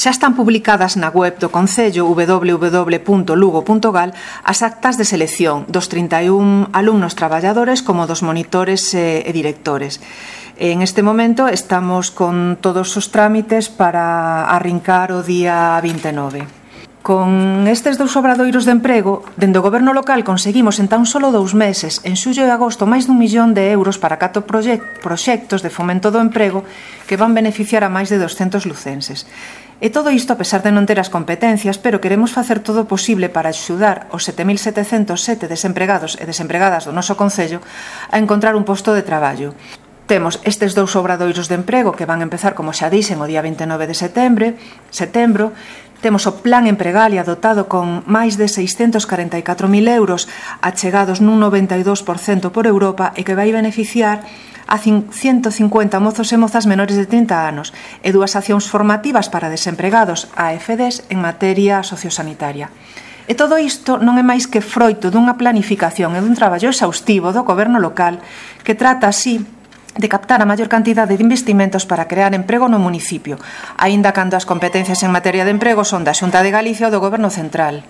Xa están publicadas na web do Concello www.lugo.gal as actas de selección dos 31 alumnos traballadores como dos monitores e directores. En este momento estamos con todos os trámites para arrincar o día 29. Con estes dous obradoiros de emprego, dende o Goberno local conseguimos en tan solo 2 meses, en xullo e agosto, máis d'1 millón de euros para 4 proxectos de fomento do emprego que van beneficiar a máis de 200 lucenses. E todo isto a pesar de non ter as competencias, pero queremos facer todo o posible para axudar os 7.707 desempregados e desempregadas do noso Concello a encontrar un posto de traballo. Temos estes dous obradoiros de emprego que van empezar, como xa dixen, o día 29 de setembro. Temos o Plan Empregalia dotado con máis de 644.000 euros achegados nun 92% por Europa e que vai beneficiar a 150 mozos e mozas menores de 30 anos e 2 accións formativas para desempregados AFDs en materia sociosanitaria. E todo isto non é máis que froito dunha planificación e dun traballo exhaustivo do Goberno local que trata así de captar a maior cantidade de investimentos para crear emprego no municipio, aínda cando as competencias en materia de emprego son da Xunta de Galicia ou do Goberno central.